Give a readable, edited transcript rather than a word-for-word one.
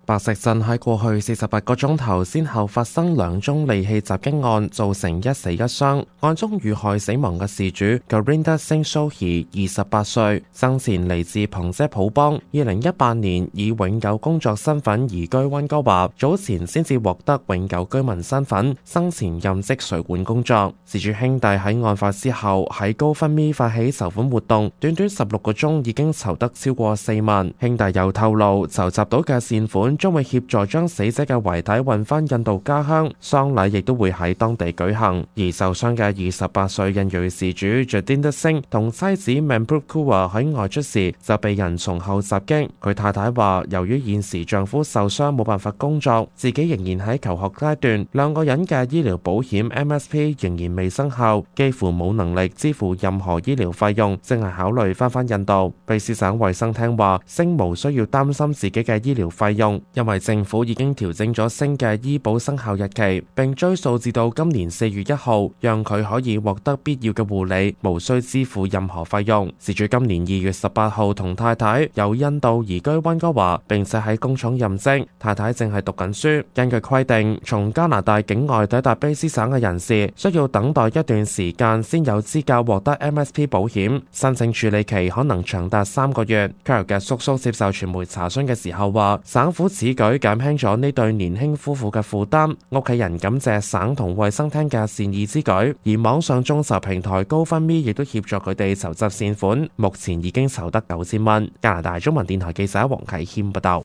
白石鎮喺過去48個鐘頭先後發生2宗利器襲擊案，造成1死1傷。案中遇害死亡嘅事主 Gurinder Singh Sohi 28歲，生前嚟自旁遮普邦，2018年以永久工作身份移居溫哥華，早前先至獲得永久居民身份，生前任職水管工作。事主兄弟喺案發之後喺GoFundMe發起籌款活動，短短16個鐘已經籌得超過4萬。兄弟又透露，籌集到嘅善款將會協助將死者嘅遺體運返印度家鄉，喪禮亦都會喺當地舉行。而受傷嘅28歲印裔事主 Jadinder Singh 同妻子 Manpreet Kaur 喺外出時就被人從後襲擊。佢太太話，由於現時丈夫受傷冇辦法工作，自己仍然喺求學階段，兩個人嘅醫療保險 MSP 仍然未生效，幾乎冇能力支付任何醫療費用，正係考慮返印度。卑詩省衛生廳話，星無需要擔心自己嘅醫療費用，因為政府已經調整咗星嘅醫保生效日期，並追溯至到今年4月1號，讓佢可以獲得必要嘅護理，無需支付任何費用。事主今年2月18號同太太由印度移居溫哥華，並且喺工廠任職，太太正係讀緊書。根據規定，從加拿大境外抵達卑詩省嘅人士，需要等待一段時間先有資格獲得 MSP 保險，申請處理期可能長達3個月。Carol 嘅叔叔接受傳媒查詢嘅時候話，省府此舉減輕咗呢對年輕夫婦嘅負擔，屋企人感謝省同衛生廳嘅善意之舉，而網上眾籌平台GoFundMe亦都協助佢哋籌集善款，目前已經籌得9000蚊。加拿大中文電台記者黃啟謙報道。